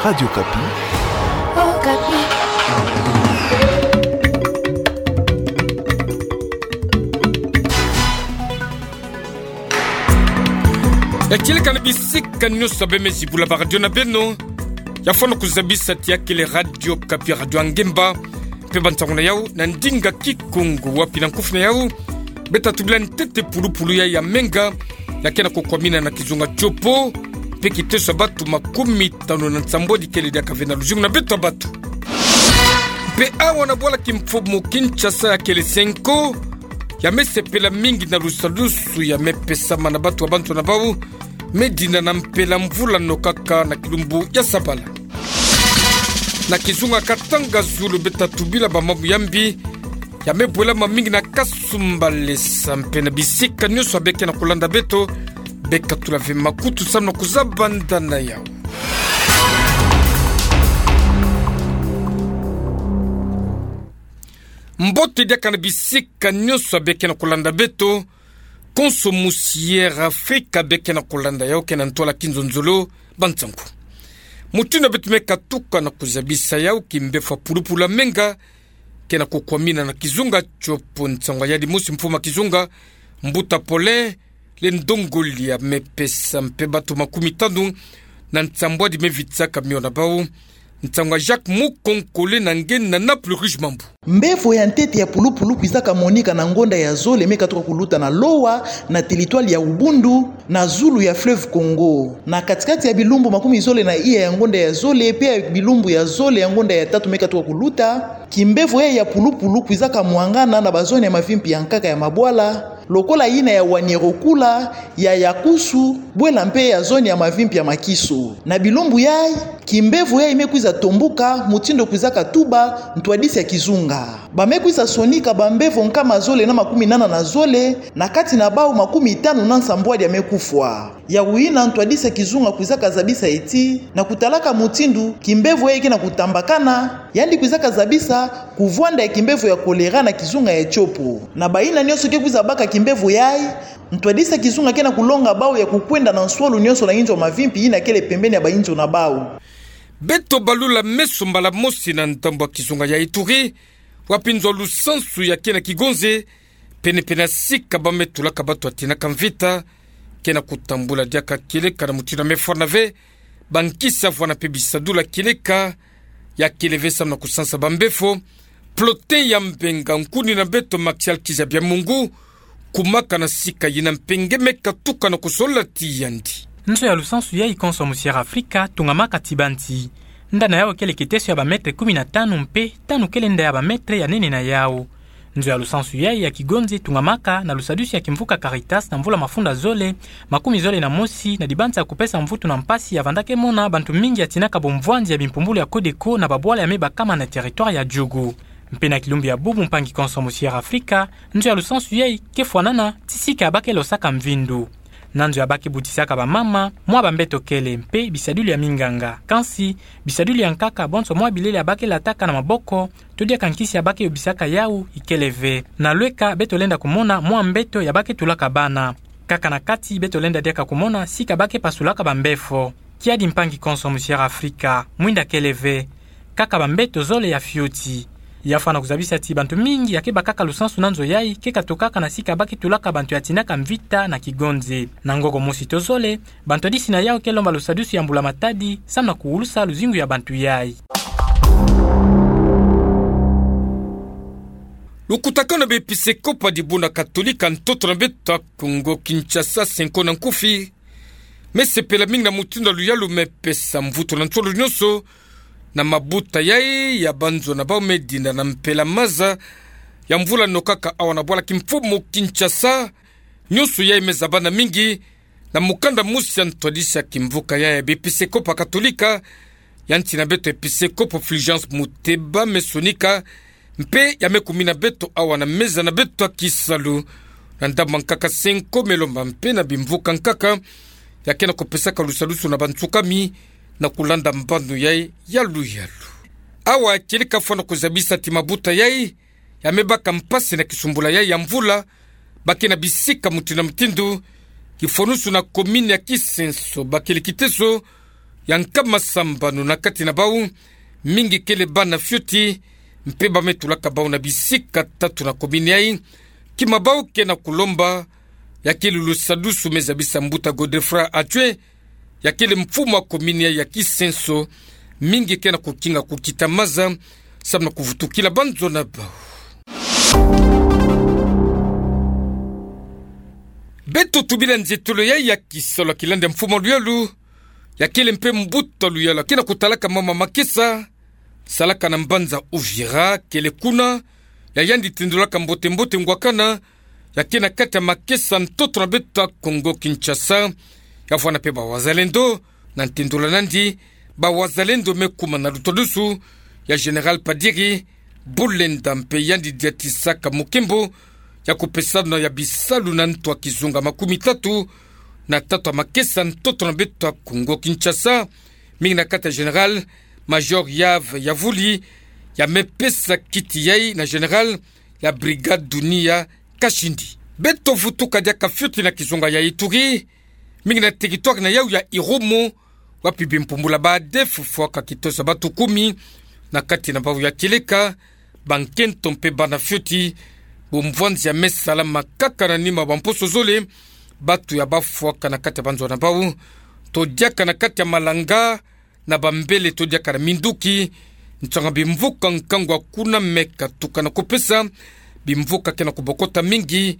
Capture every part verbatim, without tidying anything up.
Radio Okapi. Okapi. Ya kieleka na bisika nyonso ya bemezi bula ba radio na beno. Ya fwana kuzabisa ti ya kele Radio Okapi, radio ya ngemba. Mpe bansango na yau na ndinga Kikongo, wapi na nkufi na yau beto tubila ntete pulupulu ya ya menga ya kena kukwamina na kizunga Tshopo, mpe kiteso ya batu makumi tanu na nsambwadi kele diaka ve na luzingu na beto batu. Mpe awa na bwala kimfumu Kinshasa ya kele Cenco, ya mesepela mingi na lusadusu ya mepesama na batu ya bantu na bau, medina na mpela mvula nokaka na kilumbu ya sabala. Na kizunga Katanga Zulu beto tubila ba mambu ya mbi, ya mebwelama mingi na Kasumbalesa mpe na bisika nyonso ya beke na kulanda beto, beka tula ve makutu samu na kuzaba nda na yau. Mbote diaka na bisika nyonso ya beke na kulanda beto, konso musi Air Afrika beke na kulanda yau kena ntwala kinzonzolo, bansangu. Mutindu beto meka tuka na kuzabisa yau, kimbefo ya pulupulu ya menga kena kukwamina na kizunga Tshopo. Nsangwa yadi mosi mfumu ya kizunga, Mbuta Paulin Lendongolia, mepesa mpe batu makumi tanu na nsambwadi mevitisaka mio na bau. Nsangwa Jacques Mukonkole na nge na Naples Rouge Mambu. Mbevo ya ntete ya pulupulu kwizaka monika na ngonda ya zole meka tuka kuluta na Lowa, na territoire ya Ubundu, na zulu ya fleuve Congo. Na katikati ya bilumbu makumi zole na iya ya ngonda ya zole, mpe ya bilumbu ya zole ya ngonda ya tatu meka tuka kuluta, kimbevo yai ya pulupulu kwizaka mwangana na bazone ya mavimpi ya nkaka ya mabwala, lokola yina ya Wanyerokula, ya Yakusu, bwela mpe ya zone ya mavimpi ya Makiso. Na bilumbu yai, kimbevo yai mekwiza tombuka, mutindu kwizaka tuba ntwadisi ya kizunga. Bamekwiza sonika bambevo nkama zole na makumi nana na zole, na kati na bau makumi tanu na nsambwadi ya mekufwa. Yawu yina ntwadisi ya kizunga kwizaka zabisa ti, na kutalaka mutindu kimbevo yai kena kutambakana, yandi kwizaka zabisa kuvwanda ya kimbevo ya kolera na kizunga ya Tshopo. Na bayina nyonso ke kwiza baka kimbevo yai, ntwadisi ya kizunga kena kulonga bau ya kukwenda na nswalu nyonso na inzo mavimpi yina kele pembeni ya bainzo na bau. Beto balula meso mbala mosi na ndambu ya kizunga ya Ituri, wapi nzo ya lusansu ya kena kigonze, penepene ya sika bametulaka batu ya tinaka mvita, kena kutambula diaka kieleka na mutindu ya mefwana ve bankisi ya vwana mpe bisadulu ya kieleka, ya kele ve samu na kusansa bambefo. Plotin ya Mbenga, nkuni na beto Maxial Kizabia Mungu, kumaka na sika yina mpe nge meka tuka na kusola ti yandi. Nzo ya lusansu yai konso musi Air Afrika tungamaka ti banzi. Nda na yau kele kiteso ya ba mètre kumi na tanu mpe tanu kele nda ya ba mètre ya nene na yau. Nzo ya lusansu yai ya kigonze tungamaka na lusadusu ya kimvuka Caritas na mvula mafunda zole makumi zole na mosi, na dibanza ya kupesa mvutu na mpasi ya vandaka mona bantu mingi ya tinaka bomvwanzi ya bimpumbulu ya Codeco na babwala ya mebakama na territoire ya Djugu. Mpe na kilumbu ya bubu, mpangi konso musi Air Afrika, nzo ya lusansu yai ke fwanana ti sika ya bake losaka mvindu. Na nzo ya bake butisaka bamama, mwa bambeto kele mpe bisadulu ya minganga. Kansi, bisadulu ya nkaka bonso mwa bilele ya bake lataka na maboko, to diaka nkisi ya bake yobisaka yau, ikele ve. Na lweka beto lenda kumona mwa mbeto ya bake tulaka bana. Kaka na kati beto lenda diaka kumona sika bake pasulaka bambefo. Kiadi mpangi konso musi Air Afrika, mwinda kele ve. Kaka bambeto zole ya fioti. Ya fwana kuzabisa ti bantu mingi ya ke bakaka lusansu na nzo yai ke katokaka na sika bake tulaka bantu ya tinaka mvita na kigonze. Na ngoko mosi to zole, bantwadisi na yau ke lomba lusadusu ya mbula matadi, samu na kuwulusa luzingu ya bantu yai. Lukutakanu na baepisekopo ya dibundu katolika ntoto na beto ya Kongo Kinshasa, Cenco na nkufi, mesepela mingi na mutindu ya luyalu mepesa mvutu na nsolo nyonso na mabuta yai ya banzo na bau medinda na mpela maza ya mvula nokaka awa na bwala kimfumu Kinshasa. Nyonso yai mezabana mingi na mukanda mosi ya ntwadisi ya kimvuka yai ya baepisekopo katolika, ya nsi na beto episekopo Fulgence Muteba mesonika, mpe ya mekumina beto awa na meza na beto ya kisalu. Na ndambu ya nkaka Cenco melomba mpe na bimvuka nkaka ya kena kupesaka lusadusu na bansukami na kulanda mbano yai ya luyalu. Awa kieleka fwana kuzabisa ti mabuta yai ya mebaka mpasi na kisumbula yai ya mvula, bake na bisika mutindu na mutindu, kifwanusu na komini ya Kisenso, bakele kiteso ya nkama sambanu na kati na bau, mingi kele bana fioti, mpe ba me tulaka bau na bisika tatu na komini yai, kima bau ke na kulomba, ya kele lusadusu me zabisa mbuta Godefroid Atwe, ya kele mfumu wa komini yai ya Kisenso, mingi ke na kukinga kukita maza, samu na kuvutukila banzo na bau. Beto tubila nzietolo yai ya kisalu ya kilanda mfumu wa luyalu, ya kele mpe mbuta luyalu, ya ke na kutalaka mama makesa, salaka na mbanza Uvira, kele kuna, ya yandi tindolaka mbote-mbote ngwakana, ya ke na kati ya makesa ntoto na beto ya Kongo Kinshasa, ya vwanda mpe ba wazalendo, na ntindola nandi, ba wazalendo me kuma na lutodusu, ya Général Padiri, Bulenda mpe yandi diatisaka mokembo, ya kupesana ya bisalu na ntu ya kizunga makumi tatu, na tatu ya makesa ntoto na beto ya Kongo Kinshasa, mingi na kati ya Général Major Yave Yavuli, ya me pesa kiti yai na Général ya Brigade Dunia Kashindi. Beto vutuka diaka fioti na kizunga ya Ituri, mingi na territoire na yau ya Irumu, wapi bimpumbula ba ADF fwaka kitosa batu kumi, na kati na bau ya kieleka, bankento mpe bana fioti, bumvwanzi ya me salama kaka na nima ba mposo zole, batu ya bafwaka na kati ya banzo na bau, to diaka na kati ya malanga, na bambele to diaka na minduki, nsanga bimvuka nkangu ya kuna me katuka na kupesa, bimvuka ke na kubokota mingi,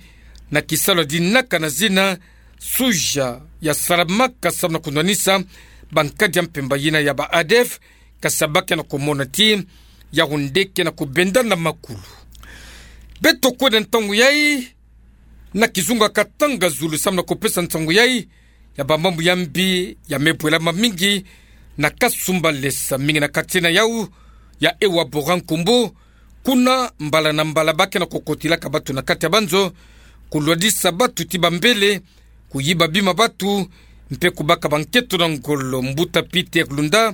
na kisalu ya dinaka na zina, suja ya salamaka samu na kunwanisa, bankadi ya mpemba yina ya ba ADF, kasi ba ke na kumona ti, yau nde ke na kubenda na makulu. Beto kwenda ntangu yai, na kizunga Katanga zulu samu na kupesa nsangu yai, ya bamambu ya mbi, ya me bwelama mingi, na Kasumbalesa mingi na quartier na yau, ya Ewabora Nkumbu, kuna mbala na mbala ba ke na kukotilaka batu na kati ya banzo, kulwadisa batu ti bambele, kuyiba bima batu, mpe kubaka bankento na ngolo mbuta Peter Lunda,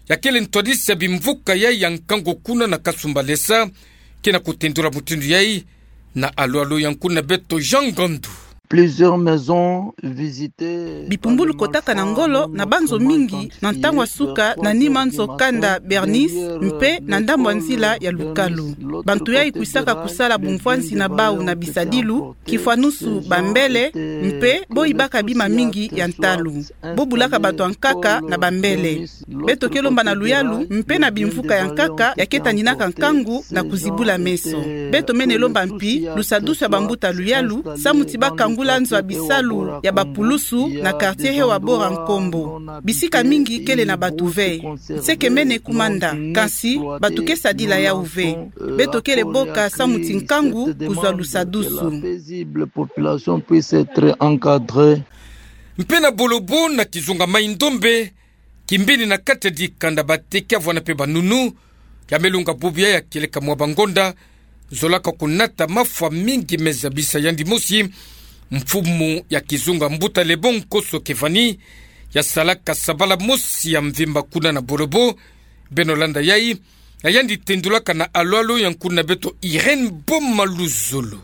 ya kele ntwadisi ya bimvuka yai ya nkangu kuna na Kasumbalesa, ke na kutendula mutindu yai, na alu-alu ya nkuna beto Jean Ngandu. Plusieurs maisons visitées. Bipumbulu kotaka na ngolo na banzo mingi na ntangu ya suka na nima nzo kanda Bernice mpe na ndambu ya nzila ya Lukalu. Bantu yai kwisaka kusala bumvwanzi na bau na bisadilu, kifwanusu bambele, mpe bo yibaka bima mingi ya ntalu. Bo bulaka bato ya nkaka na bambele. Beto ke lomba na luyalu mpe na bimvuka ya nkaka ya ke tandinaka nkangu na kuzibula meso. Beto mene lomba mpi lusadusu ya bambuta luyalu, samu ti ba kangula nzo ya bisalu ya bapulusu na quartier Ewabora Nkumbu. Bisika mingi kele na bato ve. Nse ke mene kumanda, kansi bato ke sadila yau ve. Beto kele boka samu ti nkangu kuzwa lusadusu. Mpe na Bolobo na kizunga Mai-Ndombe, kimbeni na kati ya dikanda bateke ya vwanda mpe banunu, ya me lunga bubu ya kieleka mwa bangonda, zolaka kunata mafwa mingi me zabisa yandi mosi, mfumu ya kizunga mbuta Lebon Koso Kevani, ya salaka sabala mosi ya mvimba kuna na Bolobo, beno landa yai, ya yandi tendulaka na alu-alu ya nkuna beto Irène Boma Luzolo.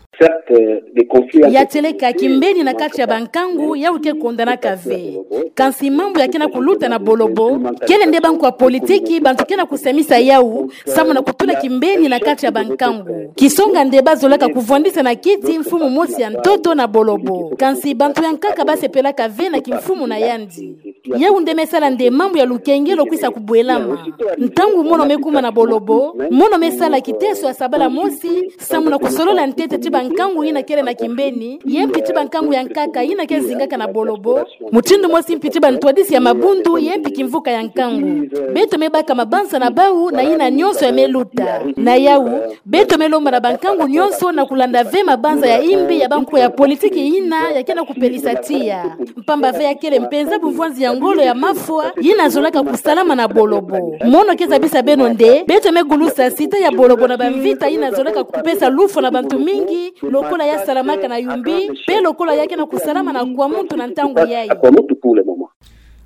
Ya tieleka kimbeni na kati ya bankangu yau ke kondanaka ve. Kansi mambu ya ke na kuluta na Bolobo, kele nde banko ya politiki, bantu ke na kusamisa yau, samu na kutula kimbeni na kati ya bankangu. Kisonga nde ba zolaka kuvwandisa na kiti mfumu mosi ya ntoto na Bolobo. Kansi bantu ya nkaka ba sepelaka ve na kimfumu na yandi. Yau nde me sala nde mambu ya lukengelo kwisa kubwelama. Ntangu mono me kuma na Bolobo, mono me sala kiteso ya sabala mosi, samu na kusolola ntete ti bankangu yina kele na kimbeni, ye mpi ti bankangu ya nkaka yina ke zingaka na Bolobo, mutindu mosi mpi ti bantwadisi ya mabundu, ye mpi kimvuka ya nkangu. Beto me baka mabanza na bau na yina nyonso ya me luta. Na yau, beto me lomba na bankangu nyonso na kulanda ve mabanza ya imbi ya banko ya politiki yina ya ke na kupelisa tiya. Mpamba ve ya kele mpenza bumvwanzi ya ngolo ya mafwa, yina zolaka kusalama na Bolobo. Mono ke zabisa beno nde, beto me gulusa site ya Bolobo na bamvita yina zolaka kupesa lufwa na bantu mingi, lokola ya salamaka na Yumbi, mpe lokola ya ke na kusalama na Kwamouth na ntangu yai.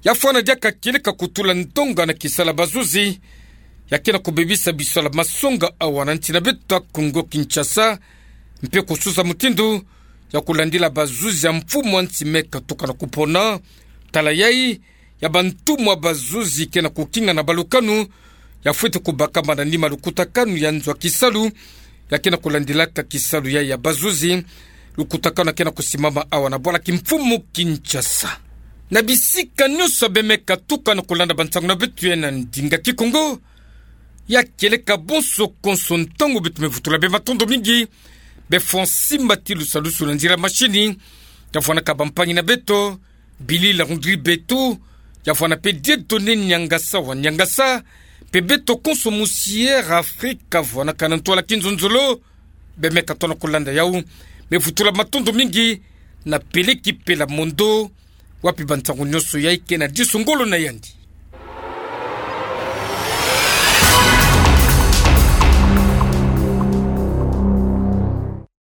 Ya fwana diaka kieleka kutula ndonga na kisala bazuzi, ya ke na kubebisa bisala masonga awa na nsi na beto ya Kongo Kinshasa, mpe kususa mutindu ya kulandila bazuzi ya mfumu ya nsi me katuka na kupona. Tala yai, ya bantumwa bazuzi ke na kukinga na balukanu, ya fwete kubakama na nima lukutakanu ya nzo a kisalu, ya ke na kulandilaka kisalu ya ya bazuzi, lukutakanu ya ke na kusimama awa na bwala kimfumu Kinshasa. Na bisika nyonso bemeka tuka na kulanda bansangu na beto ya na ndinga Kikongo, ya kieleka bonso konso ntangu beto me vutula bê matondo mingi, bê fwa nsimbati lusalusu na nzila mashini, ya vwanaka bampangi na beto, bili la hundri beto, ya vwana pe Dieudonné Niangasa wa Niangasa, pe beto konso musiere Afrika vwanaka na ntwala kinzonzolo, bemeka tona kulanda yau, me vutula matondo mingi, na peleki pela mondo, wapi bansangu nyonso ya ke na diso ngolo na yandi.